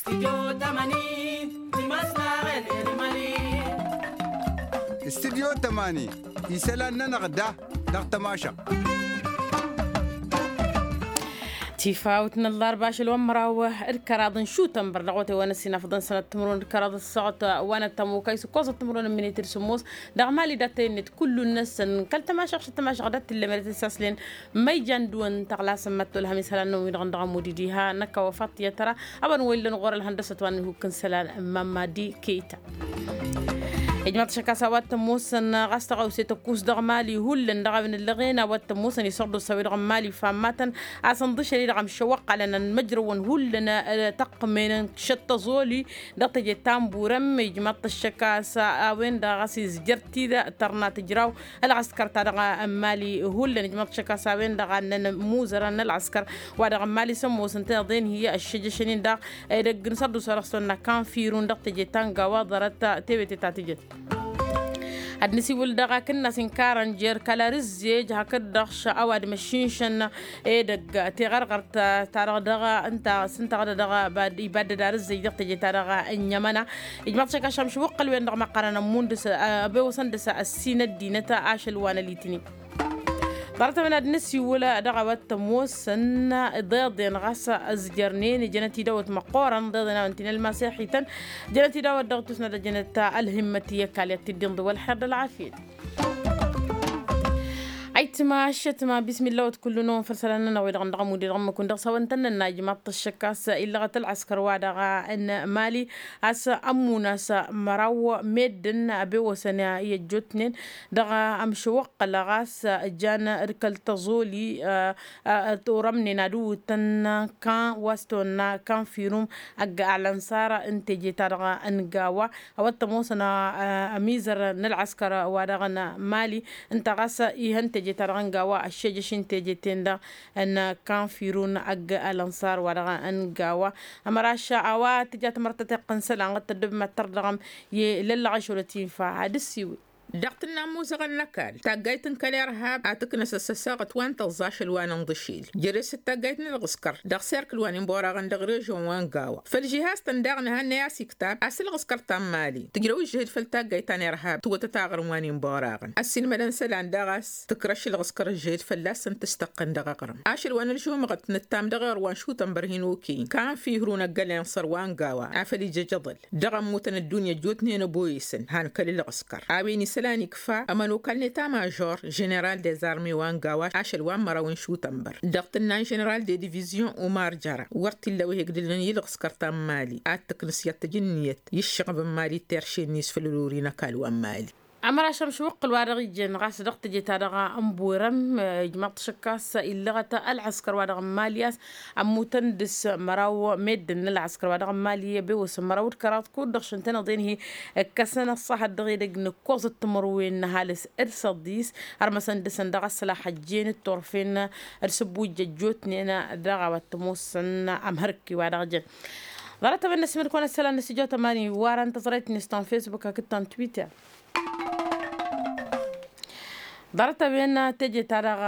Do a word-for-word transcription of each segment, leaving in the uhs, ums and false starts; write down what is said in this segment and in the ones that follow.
Stidyo tămani isălan-nănăɣ da dăɣ-tămašăɣt. Tifawt n-ăllarba ašăl wa n-măraw d-kăraḍ n-šutănbăr dăɣ-wătay wa n-ăssinafăḍăn sănăt timǝrwen d-kăraḍ ăssaɣăt wa n-ăttămokay s-ǝkkoẓăt timǝrwen n-minit d-sǝmmos dăɣ-mali dat-tăyănnet kullu-năsăn kăl-tămašăɣt šăt tămašăɣt dat-tǝllămeret s-aslen. Ma ijan dăɣ-wăn tăɣlasăn mătto ălhămis hăla n-năwwi-dăɣ n-dăɣ-amud-i diha năkk a-wa faḍt i-ad-tăra. Ăba n-wăyy-lăn ɣur-ălhăndăsăt wa n-ihuk n-isălan n-mamadi keyta. Ijmaḍ-t ašăk a-s a-wa t-ămoosăn ɣas tăɣawse tăkkus dăɣ-mali hullan dăɣ-a-wen ǝllăɣen a-wa t-ămoosăn isărdusa wi-dăɣ n-mali fammatăn a-s ǝnḍǝšăn-i-dăɣ ămšăwăqqălăn ănmăjrăwăn hullan. Tăqqǝmen n-šăt tăẓoli dăɣ-teje ta n-burăm ijmaḍ-t ašăk a-s a-wen-dăɣ ɣas izjăr-t-dd tărna tǝjraw ălɣăskăr-ta-dăɣ n-mali hullan ijmaḍ-t ašăk a-s a-wen-dăɣ a ǝnnăn imuzărăn n-ălɣăskăr wa dăɣ-n mali s-ămoosăn tăn-iḍen hi-ăššăjăšăn-in-dăɣ edăgg n-sărdusa dăɣ-s tăwănna kanfirun dăɣ-teje ta n-gawa ḍarăt tewete ta tǝjăt. Ad-nǝsiwǝl dăɣ-akǝnnas inkarăn jer-kăla rǝzzej hakd-dăɣ š-a-wa d-măššinšăn edăgg tiɣărɣărt ta-dăɣ dăɣ-ǝnta s-ǝnta dăɣ-ibaddăd arǝzzej dăɣ-teje ta dăɣ-ănnyămăna. Ijmaḍ-t ašăk ašămš wăqqăl-wen-dăɣ măqqărăn ămmundǝs ăbewăsăn dăɣ-s ăssin ăddinăt ašăl wa n-ălitnin. Ḍarăt-a-wen ad-nǝsiwǝl dăɣ-a-wa t-ămoosăn iḍeḍen ɣas ǝzjărnen jănăt idawăt măqqoorăn iḍeḍen a-wen ti n-ălmaseḥităn jănăt idawăt dăɣ-tusnăt ăjănăt ălhimmăt i-ăkall i-ad-t-dd-inḍǝw ălxer d-ălɣafyăt. Ayǝtma ăššătma bismillawăt kullu-năwăn făll-isălan-nănăɣ wi-dăɣ n-dăɣ-amud-i-dăɣ ǝmmǝk-wǝn dăɣ-s a-wa ǝntănnănna ijmaḍ-t ăššăk a-s illăɣăt ălɣăskăr-wa-dăɣ n-mali a-s ămmun a-s măraw meddǝn ăbewăsăn i-ăjjootnen dăɣ-amšăwăqqăl ɣas jan d-kăl-tăẓoli. Turămnen ad-ǝwwǝtăn kan wa s-tăwănna kanfirum ăgg-alănsar n-teje-ta-dăɣ n-gawa a-wa t-ămoosăn ămizăr n-ălɣăskăr wa dăɣ-n mali ǝnta ɣas ihăn teje-ta-dăɣ n-gawa ăššejăš n-teje-ten-dăɣ n-kanfirun ăgg-alănsar wa dăɣ-n gawa. Ămăraš a-wa tǝja tamărtăt iqqǝn isălan ɣǝd tăddobem ad-tărdăɣăm i-lăllăɣ ašăl wa t-infa ad-ǝssiwǝl. Dăɣ-tǝnna ămuzăɣăn n-ăkall taggayt n-kăl-irhab ad-tǝknăs ăssăsaɣăt wa n-tăẓẓa ašăl wa n-inḍǝšil jere-s d-taggayt n-ălɣǝskăr dăɣ-serkǝl wa n-inborăɣăn dăɣ-režion wa n-gawa făll-žihaz-tăn daɣ nǝhănnăy a-s iktab a-s ălɣǝskăr ta n-mali tǝjrăw ǝžžǝhǝd făll-taggayt ta n-irhab tǝwătăt aɣrǝm wa n-inborăɣăn ăssiilmădăn isălan daɣ a-s tǝkrăš ălɣǝskăr ǝžžǝhǝd fălla-săn tǝstăqqăn dăɣ-aɣrǝm ašăl wa n-ălžumăɣăt nǝttam dăɣ-eɣr wa n-šutănbăr hin-okăyăn kanfihru n-ăggălăy n-săr wa n-gawa afăl ija ăjăḍăl dăɣ-ămmutăn ăddunya ăjjootnen ăboyăsăn han kăl-ǝlɣǝskăr a-wen isălan ikfa ămănokal n-eta mažor ženeral dezarme wa n-gawa ašăl wa n-măraw n-šutănbăr dăɣ-tǝnna n-ženeral de divizyon umar jăra wăr t-illa a-wa ihegdǝlăn i-ǝlɣǝskăr ta n-mali ad-tǝknǝs i-ad-tǝj ǝnniyăt i-ǝššăɣăb n-mali d-terše-net făll-ălori n-ăkall wa n-mali. Ămăraš ămšăwăqqǝl wa dăɣ-ijăn ɣas dăɣ-teje-ta-dăɣ n-borăm ijmaḍ-t ašăk a-s illăɣăt ălɣăskăr wa dăɣ-n mali a-s ămmutăn dăɣ-s măraw meddǝn n-ălɣăskăr wa dăɣ-n mali ăbewăsăn măraw d-kăraḍ kud-dăɣ šăn tăn-iḍen hi-ǝkkăsăn ăṣṣahăt dăɣ-edăgg n-ǝkkoẓăt timǝrwen n-ăhalǝs d-săḍis ărmăsăn dăɣ-săn dăɣ-ăṣṣălax ăjjeen d-turfen d-sǝbbujja ăjjootnen dăɣ-a-wa t-ămoosăn ămhărki wa dăɣ-jăn. Ḍarăt-a-wen n-asǝmǝd kăwăn-ăssălan n-stujo tămani warăn tăẓrayt-net ta n-facebook hakd ta n-twitter. Ḍarăt-a-wen teje-ta-dăɣ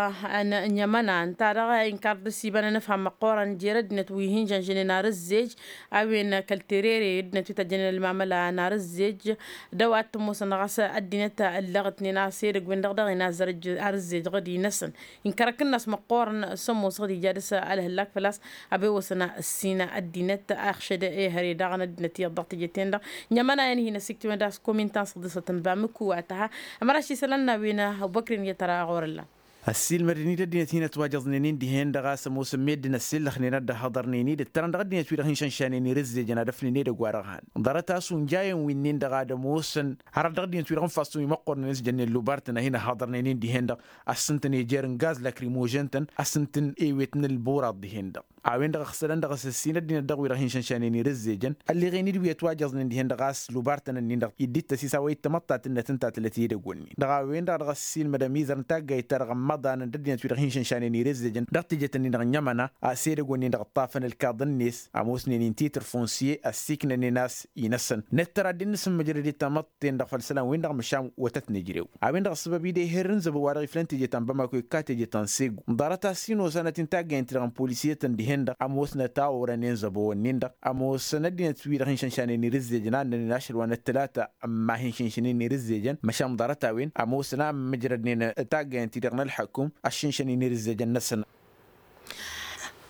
n-ămăna ǝnta-dăɣ inkar dăr-s iba n-ănǝfham măqqoorăn jer-ăddinăt wi hin-žănžănen ar ǝzzej a-wen kăl-terere ăddinăt wi tăjjănen ălmamăla n-ar ǝzzej d-a-wa t-ămoosăn ɣas ăddinăt ǝllăɣătnen a-s edăgg-wen-dăɣ daɣ inazzăr ar ǝzzej ɣǝd-i-năsăn. Inkăr akǝnnas măqqoorăn s-ămoos ɣǝd ija dăr-s ălhăllak făl-a-s ăbewăsăn ăssin ăddinăt a ixšăd ehăre daɣ n-ăddinăt iyyăḍ dăɣ-teje-ten-dăɣ n-ămănayăn hin-ăsiktiwăn d-a-s komintan s-ăḍḍisăt n-bamǝku wa tăha. Ămăraš isălan n-a-wen ăbubăkrin i-ad-tăra ɣur-ǝllan. Ăssiilmădăn-dd ăddinăt hin-ătwajăẓnen-in dihen-dăɣ a-s ămoosăn meddǝn ăssillăxnen ad-dd-ăhhăḍărnen-dd ǝttărăn dăɣ-ăddinăt wi-dăɣ hin-šănšanen irǝzzejăn ad-ăfnen edăgg-wa-dăɣ han ḍarăt-as unjayăn wi-nin-dăɣ ad-ămoosăn hărăt dăɣ-ăddinăt wi-dăɣ n-fassăn wi măqqoornen s-jănnen lubartăn a hin-ăhhăḍărnen-in dihen-dăɣ. A-s ǝntăn ejer n-gaz lakrimožen-tăn a-s ǝntăn ewet n-ălburaḍ dihen-dăɣ a-wen-dăɣ ăɣsălăn dăɣ-s ăssin ăddinăt dăɣ-wi-dăɣ hin-šănšanen irǝzzejăn ălleɣen-dd wi ătwajăẓnen dihen-dăɣ a-s lubartăn-nin-dăɣ idd-ittăs-is a-wa ittamăḍtat ǝnnăt ǝnta tǝlăt edăgg-wǝnnin-dăɣ a-wen-dăɣ dăɣ-ăssiilmădăm izăr n-taggayt-ta-dăɣ ămmăḍanăn d-ăddinăt wi-dăɣ hin-šănšanen irǝzzejăn dăɣ-tejăt-nin-dăɣ n-ămăna a-s edăgg-wǝnnin-dăɣ ǝṭṭafăn ălkaḍăn-net ămoosnen-in titr fonsiye ăssiiknănen a-s inăsăn nǝttăr ad-dd-nǝsǝmmǝjrăd i-tamăḍt ten-dăɣ făll-isălan-win-dăɣ măšan wătăt nǝjrew a-wen-dăɣ ăssăbăb-i d-eher n-zăbăw-wa-dăɣ iflăn teje ta n-bamako ikka teje ta n-segu ḍarăt-as hin-osanăt-in taggayăn-ti-dăɣ n-polisiyătăn dihen-dăɣ. ămoosnăt a orănen zăbo-wăn-nin-dăɣ ămoosăn ăddinăt-wi-dăɣ hin-šănšanen irǝzzejăn a ǝnnănen ašăl wa n-ăttălata. Ămma hin-šǝnšǝnen irǝzzejăn măšan ḍarăt-a-wen ămoosăn a ǝmmǝjrădnen taggayăn-ti-dăɣ n-ălḥăkum ăššǝnšăn-in irǝzzejăn-năsăn.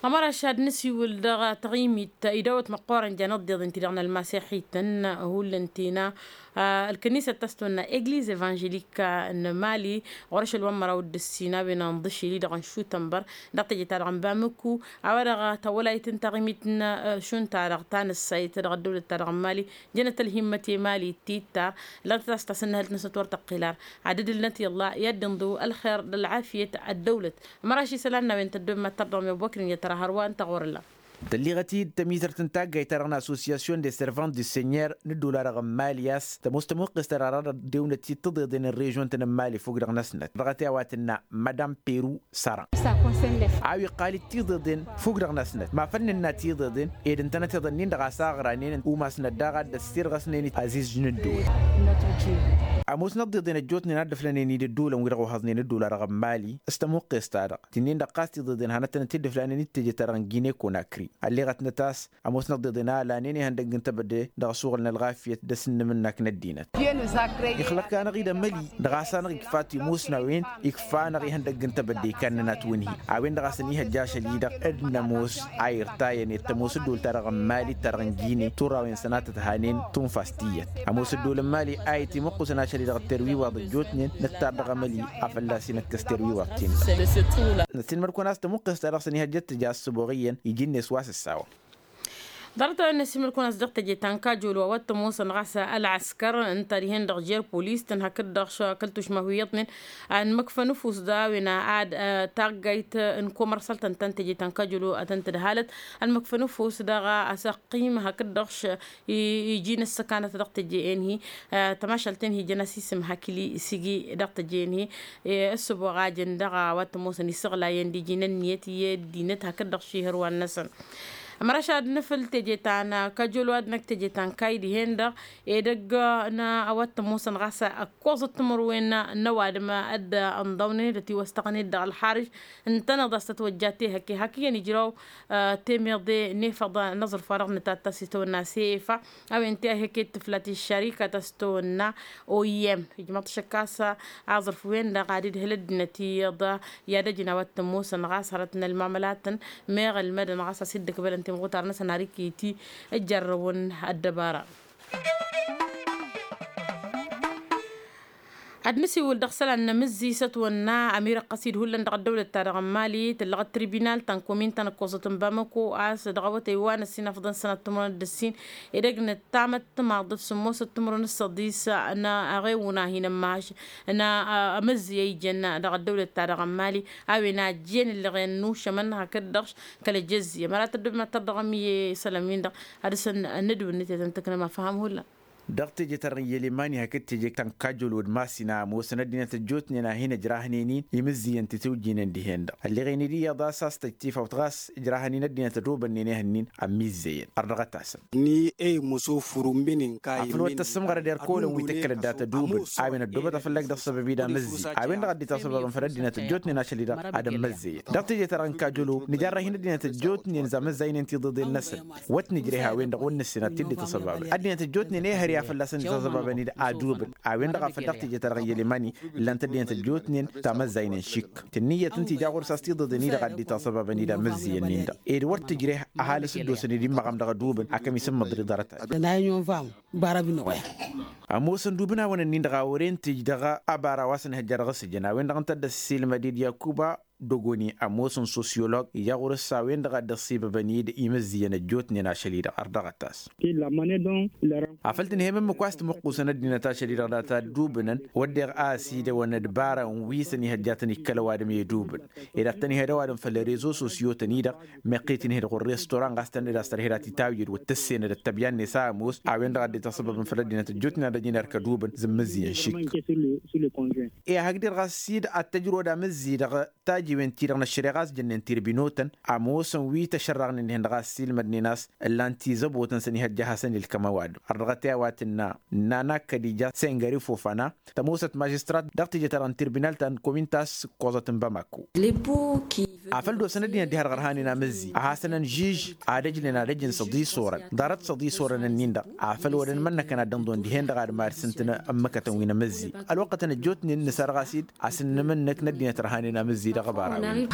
Ămăraš ad-nǝsiwǝl dăɣ-taɣimit idawăt măqqoorăn jan ǝḍḍeḍen-ti-dăɣ n-ălmasiḥităn hullan tina ălkănisăt ta s-tăwănna egliz evanželika n-mali ɣur-ašăl wa n-măraw d-ǝssin a-wen ănḍǝšil-i-dăɣ n-šutănbăr dăɣ-teje-ta-dăɣ n-bamǝku a-wa-dăɣ tawălayt n-taɣimit n-šund-ta-dăɣ ta nǝssayt dăɣ-ăddăwlăt-ta-dăɣ n-mali. Jănăt ălhimmăt i-mali tittar lăntăt a-s tasǝnnăhǝlt-năsnăt wăr tăqqǝl ar ad-dd-ǝlnăt i-ălla i-ad-dd-inḍǝw ălxer d-ălɣafyăt ăddăwlăt. Ămăraš isălan n-a-wen tăddommăt tărdăɣ mi-ăbokrin i-ad-tăra hărwa ǝnta ɣur-ălla. Tălliɣăt-dd tămitărt n-taggayt-ta-dăɣ n-association de servant du seigneur n-ăddola-dăɣ n-mali a-s tămoos tămuqqes-ta-dăɣ dăɣ-dewnăt-i d-tiḍeḍen n-režion-tăn n-mali fukk-dăɣ-năsnăt dăɣ-t i-a-wa tǝnna madam peru săra. A-wa iqqal-dd tiḍeḍen fukk-dăɣ-năsnăt ma făl nǝnna tiḍeḍen ed ǝntănăt iḍăn-in-dăɣ a-s aɣranen umasnăt daɣ ad-dd-ăssirɣăsnen azizǝj n-ădduul. Ămoosnăt tiḍeḍen ăjjootnen a dd-ǝflănen-dd ădduulăn-wi-dăɣ ohăẓnen ădduul-a-dăɣ n-mali s-tămuqqes-ta-dăɣ ti-nin-dăɣ ɣas tiḍeḍen hanăt-tănăt-dd-ǝflanen d-teje-ta-dăɣ n-gine konakri. Ălleɣăt-năt a-s ămoosnăt tiḍeḍen a ălanen ihăndăgg n-tebădde dăɣ-asuɣǝl n-ălɣafyăt d-asǝnnǝmǝnnak n-ăddinăt. Ixlăk-anăɣ-dd ămăli dăɣ-a-s anăɣ-ikfa timusna a-wen ikfa-anăɣ ihăndăgg n-tebădde ikannăn-at wǝnhi. A-wen-dăɣ a-s ăniihăjja ašăl-i-dăɣ d-nămoos a irtayăn i-tămoos ăddool-ta-dăɣ n-mali d-ta-dăɣ n-gine turrawen sănatăt hanen tunfas tiyyăt. Ămoos ăddool n-mali a itimăqqusăn ašăl-i-dăɣ d-terwiwaḍ ăjjootnen nǝttar dăɣ-emăli. Afălla s-inăkkăs terwiwaḍ-tin-dăɣ. Năssiinmăd-kăwăn a-s tămuqqes-ta-dăɣ s-ăniihăjja d-tǝja ăssăboɣ iyyăn iji-net wa s-ǝssawăn. Ḍarăt-a-wen năssiinmăd-kăwăn a-s dăɣ-teje ta n-kajolo a-wa t-ămoosăn ɣas ălɣăskăr ǝnta dihen-dăɣ jer-polis-tăn hakd-dăɣ kăl-tušma wi iyyăḍnen. Ănmăkfăn ăfuss d-a-wen ad-taggayt n-komărsal-tăn ta n-teje ta n-kajolo ad-tăn-tǝdhalăt. Ănmăkfăn ăfuss dăɣ-asăqqim hakd-dăɣ iji n-ǝssăkanăt dăɣ-teje-en-hi. Tămašalt-en-hi jăn-as isǝm hakli sigi dăɣ-teje-en-hi. Ăssăboɣ a jăn dăɣ-a-wa t-ămoosăn isăɣlayăn d-iji n-ǝnniyăt i-ăddinăt hakd-dăɣ šihăr wa-năsăn. Ămăraš ad-nǝfǝl teje ta n-kajolo ad-năkk teje ta n-kayy dihen-dăɣ edăgg n-a-wa t-ămoosăn ɣas ăkkoẓăt timǝrwen n-ăwadǝm ad-ănḍawnen d-ătiwăstăɣnen dăɣ-ălxarǝj. Ǝntăneḍ a-s tătwăjja tehăkke hak iyyăn ijraw temeḍe n-efăḍ n-aẓrǝf wa dăɣ-nǝtatta s-itawănna sefa. A-wen ti a ihăkke d-tǝflat i-ăššarika ta s-tawănna oyyem ijmăḍ šăkk a-s aẓrǝf wen-dăɣ ad-idhǝl ăddinăt iyyăḍ i-ad-ăjǝn a-wa t-ămoosăn ɣas hărăt n-ălmamălatăn. Meɣ ălmădăn ɣas a-s dd-ǝkbălăn timɣutar-năsăn har iket-i ǝjjărrăwăn ăddăbara. Ad-nǝsiwǝl dăɣ-isălan n-amǝzzi s-ătwănna ămirăqqăs-dd hullan dăɣ-ăddăwlăt-ta-dăɣ n-mali tǝllăɣ d-tribinal ta n-komin ta n-ǝkkoẓăt n-bamăko a-s dăɣ-awătay wa n-ăssin afḍăn sănat timǝrwen d-ǝssin. Edăgg nǝttamăt timaḍăt sǝmmosăt timǝrwen s-săḍis n-aɣewun a hin-ămmaš n-amǝzzi a ijăn dăɣ-ăddăwlăt-ta-dăɣ n-mali. A-wen a ăjjeen ǝllăɣen n-ušămăn hakd-dăɣ kăl-ejăzzi ămăra tăddobem ad-tărdăɣăm i-isălan-win-dăɣ ad-dăɣ-săn n-ădwǝnnǝt i-ad-tăn-tǝknăm afham hullan. Dăɣ-teje-ta-dăɣ n-yălemani hakd teje ta n-kajolod masina ămoosăn ăddinăt ăjjootnen a hin-ǝjrahnen-in imǝzziyăn ti tǝwjinen dihen-dăɣ ălleɣen-dd iyyăḍ a-s a-s tăjj tifawt ɣas ǝjrahăn-in ăddinăt ădobănnen ehăn-in ămmizzăyăn ărdăɣăt-asăn. Ni ey măsofurun minin kayǝn afăl wăr tăssǝmɣărăd erk olăn wi tǝkkălăt dat-ădubǝn. A-wen ăddobăt afăllak dăɣ-săbăb-i d-amǝzzi a-wen-dăɣ a dd-itasăbabăn făll-ăddinăt ăjjootnen ašăl-i-dăɣ ad-ămmăzzăyăn dăɣ-teje-ta-dăɣ n-kajolo. Nǝjarrăh-in ăddinăt ăjjootnen za măzzaynen tiḍeḍen-năsăn wăt nǝjreh a-wen-dăɣ wăr nǝssin ad-t-dd-itasăbabăn ăddinăt ăjjootnen ehăr i-ad-fălla-săn dd-itasăbabăn-dd adubǝn. A-wen-dăɣ a făl dăɣ-teje-ta-dăɣ n-yălemani ǝllan-t ăddinăt ăjjootnen tamăzzaynen šik tǝnnǝyyăt ǝnta ija ɣur-s a-s tiḍeḍen-i-dăɣ ad-dd-itasăbabăn-dd amǝzziyăn-in-dăɣ ed wăr tǝjreh ăhalǝs dd-osăn-dd immăɣam dăɣ-adubǝn. Akăm isǝmmăḍ ri ḍarăt-ad-dăɣ. Ămoosăn dubǝn-awăn-ǝnnin-dăɣ a wăren tǝj dăɣ-abara wa s-ănhăjja dăɣ-asǝjăn a-wen-dăɣ ǝnta a dd-ăssiilmăd-dd yakuba dogoni ămoosăn sosyolog ija ɣur-s a-wen-dăɣ a dd-ăṣṣibăbăn-dd imǝzzǝyăn ăjjootnen ašăl-i-dăɣ ărdăɣăt-as. Afăl tǝnhăyăm ǝmmǝk wa s-tǝmǝqqusăn ăddinăt ašăl-i-dăɣ data ăddubǝnăn wădden a ăsidăwăn d-bara n-wi s-ănihăjja tăn-ikkăl ăwadǝm i-edubǝn ed ad-tăn-ihăd ăwadǝm făll-rezo sosyo-tăn-i-dăɣ. Meqqet inhǝd ɣur-restoran ɣas tăn-dd-as tărhed ad-t-tawjǝd wăr tǝssenăd ăttăbyan-net a ămoos a-wen-dăɣ a dd-itasăbăbăn făll-ăddinăt ăjjootnen ad-ăjǝn erk ădubǝn zǝmmǝzzǝyăn šik. I-ad-hak-dd-ɣas s-dd ad-tăjrod amǝzzi-dăɣ. Ătiwăn-ti-dăɣ năššăreɣ a-s jănnen tirbinotăn ămoosăn wi tăšărrăɣnen dihen-dăɣ a ăssiilmădnen a-s ǝllan-t izăbotăn s-ănihăjja a hasăn-ilkăm ăwadǝm. Ărdăɣăt i-a-wa tǝnna nana kădija sengări fofana tămoosăt mažistrat dăɣ-teje-ta-dăɣ n-tirbinal ta n-komin ta s-ǝkkoẓăt n-bamako. Afăl dd-osăn ăddinăt diha-dăɣ ărhanen amǝzzi a hasăn-ănžiž ad-ăjnen ad-ăjǝn s-ăḍisorăn ḍarăt s-ăḍisorăn-ǝnnin-dăɣ. Afăl wăr-ănmănnăkăn ad-dd-ănḍăwăn dihen-dăɣ ad-mad-sǝntǝn ǝmmǝkătăn wi n-amǝzzi. Ălwăqqătăn ăjjootnen nǝsarɣas-dd a-s ǝnnǝmǝnnǝk n-ăddinăt ărhanen amǝzzi dăɣ-ăbara-wi.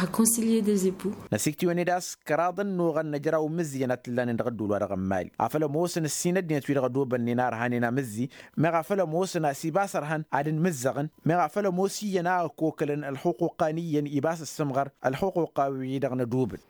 Năsiktiwăn-dd a-s kăraḍăn n-oɣăn n-ejăraw n-imǝzziyăn a t-ǝllanen dăɣ-ădduul-wa-dăɣ n-imali afăl ămoosăn ǝssin ăddinăt-wi-dăɣ ădobănnen a ărhanen amǝzzi. Meɣ afăl ămoosăn a-s ibas ărhăn ad-ǝnmǝzzăɣăn meɣ afăl ămoos iyyăn a ăkokălăn ălxuquqa n-iyyăn ibas ǝssǝmɣăr ălxuquqa-wi-dăɣ n-ădubǝl.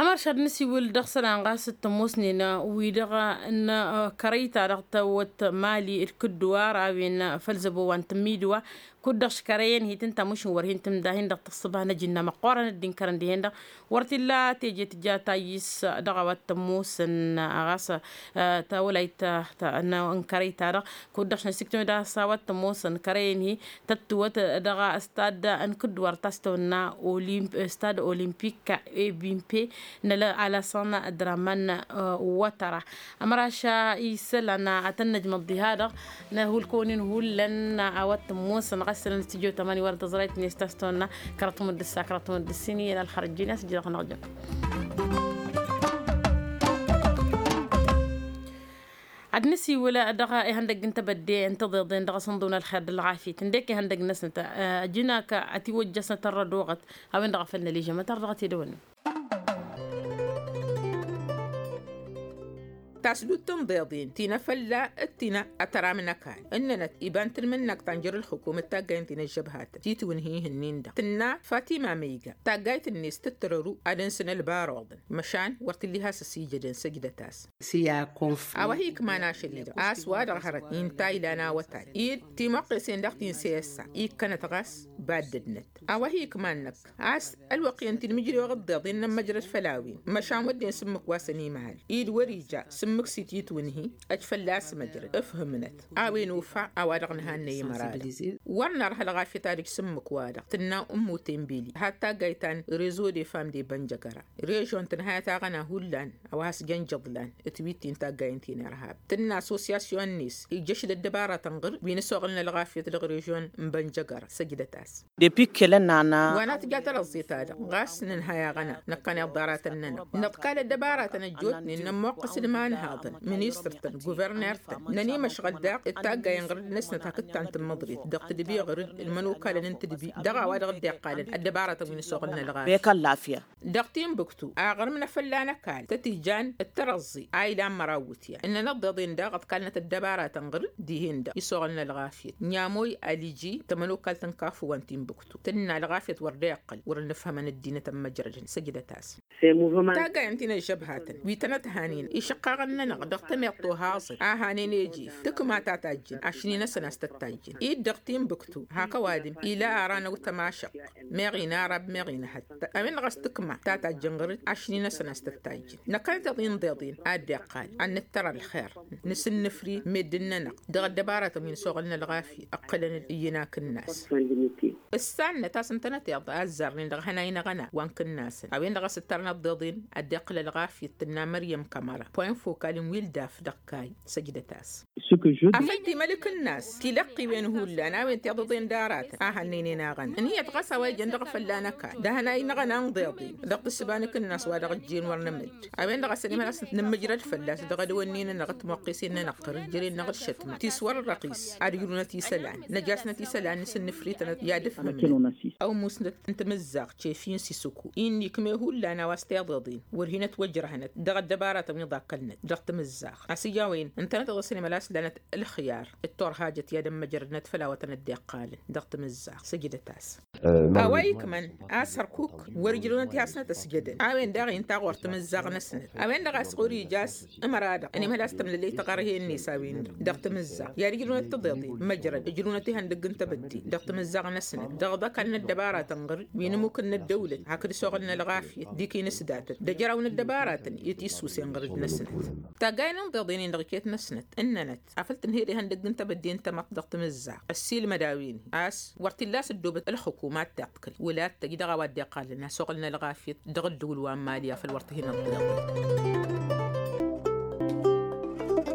Ămăršad n-asiwǝl dăɣ-isălan ɣas d-tămoosnen wi-dăɣ n-kărăy-ta-dăɣ tawăt mali d-kǝdduwar a-wen făll-zăbo wa n-tǝmmidǝwa kud-dăɣ škărăyăn hi-tǝnta mušǝn wăr hin-tǝmda hin-dăɣ tăṣṣǝba n-ajǝnna măqqoorăn dd-inkărăn dihen-dăɣ. Wăr t-illa teje tǝja tayyǝs dăɣ-a-wa t-ămoosăn ɣas tawălayt n-kărăy-ta-dăɣ kud-dăɣ šăn siktǝmǝd a-s a-wa t-ămoosăn kărăyăn-hi tăttǝwăt dăɣ-stad n-kǝdduwar ta s-tăwănna stad olimpik ebimpe n-alasăn draman wătăra. Ămăraš isălan ad-tăn-năjmăḍ diha-dăɣ n-hulkăwăn-in hullan a-wa t-ămoosăn ɣas isălan s-tijot ămani wăr dăẓrăyt-net ta s-tăwănna kăraḍ timǝddǝs a kăraḍ timǝddǝs-in iyyăn ălxărăt jin i-a-s ǝjrăɣ-năɣ jăn. Ad-nǝsiwǝl dăɣ-ihăndăgg n-tebădde n-tiḍeḍen dăɣ-asǝnḍǝw n-ălxer d-ălɣafyăt ǝndek ihăndăgg-năsnăt ǝjǝn-ak ătiwăjjăsnăt ărrăd oɣăt a-wen-dăɣ a făl nălijăm ad-tărdăɣăt i-dăwănna. Tasdut tǝnḍeḍen ti n-afălla d-ti n-atăram n-ăkall ǝnnănăt iba n-tǝlmǝnnakt ta n-jer-ǝlxǝkum d-taggayen ti n-ăžžăbhatăn titwǝnhi ihǝnnin-dăɣ tǝnna fatima măyga taggayt-net tǝttărăru ad-ǝnsǝn ălbaruḍăn măšan wăr t-illa has-ăsijădăn săjdăt-as. A-wa hi-ikman ašăl-i-dăɣ a-s wa-dăɣ hărăt inta ilan awătay-dd timăqqesen daɣ ti n-seyăssa ikkănăt ɣas baddădnăt. A-wa hi-ikman năkk a-s ălwăqq-iyyăn ti n-imǝjrew ăḍḍeḍ innă n-măjrăd făll-a-wen măšan wădden s-ǝmmǝk wa s-ănimhăl-i d-wăr-ija s-ǝmmǝk s-ititwǝnhi ăj fălla-s măjrăd ǝfhǝmnăt. A-wen ufa a-wa-dăɣ nǝhannăy imăra-dăɣ wăr nărha ălɣafyăt ad-ǝj s-ǝmmǝk-wa-dăɣ tǝnna ǝmmu tembeli had-taggayt ta n-rezo de fam de bănjăgăra režon tǝnhăyăt aɣăna hullan a-wa has-jăn jăḍlan t-wi-t-in taggayen ti n-irhab tǝnna assosyasyon-net ijjăšd ăddăbaratăn ɣǝr-dd wi n-ăsoɣǝlăn ălɣafyăt dăɣ-režyon n-bănjăgăra săjdăt-as. De pikkălăn nana wa n-atǝja tărăẓẓe-ta-dăɣ ɣas nǝnhăy aɣăna năkkăneḍ ḍaratăn-nănăɣ nǝḍkal ăddăbaratăn ăjjootnen nămmoqqăs d-imanhaḍăn ministăr-tăn guverner-tăn nănimăšɣăl daɣ d-taggayen ɣǝr-dd-năsnăt hakd ta n-tǝmmăḍrit dăɣ-tǝdbi ɣǝr-dd ǝlmănokalăn n-tǝdbi dăɣ-a-wa dăɣ-dd-iqqalăn ăddăbaratăn wi n-ăsoɣǝlăn ălɣafyăt. Dăɣ-timbuktu aɣrǝm n-afălla n-ăkall tăt-ijan d-tărăẓẓe a ilan măraw iwǝtyan ǝnnăn ăḍḍeḍen daɣ ǝḍkalnăt ăddăbaratăn ɣǝr-dd dihen-dăɣ isoɣălăn ălɣafyăt n-amoy aliji tămănokalt n-kafu wa n-timbuktu tǝnna ălɣafyăt wăr dd-iqqăl wăr-dd-nǝfhămăn ăddinăt ămmăjrădăn săjdăt-as. Taggayen ti n-ăžžăbhatăn wi tănăt-hanen išăqqaɣăn-nănăɣ dăɣ-temeḍt tohaẓăt a hanen ejef tǝkma ta tajjǝn ašni-năsăn a-s tăt-tajjǝn-dd dăɣ-timbuktu hak ăwadǝm ila ara n-awǝtăm ašăqq meɣ inarab meɣ inhăttăr a-wen-dăɣ a-s tǝkma ta tajjǝn ɣǝr-dd ašni-năsăn a-s tăt-tajjǝn năkkănăteḍ inḍeḍen a dd-iqqal ad-nǝttăr ălxer nǝsǝnnǝfri meddǝn-nănăɣ dăɣ-ăddăbaratăn wi n-ăsoɣălăn ălɣafyăt ǝqqǝlăn-dd iyyăn akǝnnas. Ǝssannăt a-s ǝntănăteḍ a ăzzarnen dăɣ-ihănay n-aɣăna wa n-kǝnnasăn a-wen-dăɣ a-s ǝttărăn ăḍḍeḍen ad-dd-iqqǝl ălɣafyăt tǝnna măryăm kămăra poyăn fokal n-wi ǝldaf dăɣ-kayy săjdăt-as. Afăl timăl ikǝnnas tilăqqiwen hullan a-wen tiḍăḍen d-aratăn a hannăynen aɣăna ǝnhǝyăt ɣas a-wa ijăn dăɣ-afălla n-ăkall d-ahănay n-aɣăna n-iḍeḍen dăɣ-tǝssǝba n-ikǝnnas wa dăɣ-ǝjjen wăr nǝmǝj a-wen-dăɣ a-s ănimhăl a-s nǝmmǝjrăd fălla-s dăɣ-adǝwănnin-nănăɣ d-timuqqisen-nănăɣ tărǝjjăren-năɣ d-išătma ti s-wăr-ărrăɣis ad-ǝjrǝwnăt isălan năjasnăt isălan nǝsǝnnǝfritănăt i-ad-ǝfhǝmnăt. Ăwmusnăt n-timǝzzaɣt cefi n-sisǝku-i n-ikme hullan a-wa s-tiḍeḍen wăr hin-ătwăjrăhnăt dăɣ-ăddăbaratăn wi ḍakkălnăt dăɣ-timǝzzaɣt a-s ija a-wen ǝntănăteḍ a-s ănimhăl a-s lanăt ălxǝyar d-turhajăt i-ad-ămmăjrădnăt făll-awătăn dd-iqqalăn dăɣ-timǝzzaɣt săjdăt-as. A-wa ikmăn a-s hărkuk wăr-ǝjrǝwnăt i-hasnăt ăsjădăn a-wen daɣ inta ɣur-timǝzzaɣ-năsnăt a-wen-dăɣ a-s ɣur-ija a-s ămăra-dăɣ ănimhăl a-s tămlălăy taɣărhe-net a-wen-dăɣ dăɣ-timǝzzaɣ i-ad-ǝjrǝwnăt tiḍeḍen măjrăd ǝjrǝwnăt ihăndăgg n-tebădde dăɣ-timǝzzaɣ-năsnăt dăɣ-iḍăkal n-ăddăbaratăn ɣǝr-dd wi n-ămmuk n-ăddăwlăt hakd ăsoɣăl n-ălɣafyăt d-ikinǝsdatăn d-ejăraw n-ăddăbaratăn i-tisusen ɣǝr-dd-năsnăt. Taggayen n-iḍeḍen-in dăɣ-iket-năsnăt ǝnnănăt afăl tǝnhed ihăndăgg n-tebădde n-tamăḍt dăɣ-timǝzzaɣt ăssiilmăd a-wen-hi a-s wăr t-illa a-s ăddoobăt ǝlxǝku ma t-iḍkǝl wăla ad-tăj dăɣ-a-wa dd-iqqalăn asuɣǝl n-ălɣafyăt dăɣ-ǝddǝwǝl wa n-mali afăl wăr t-hin-ăḍḍeḍăt.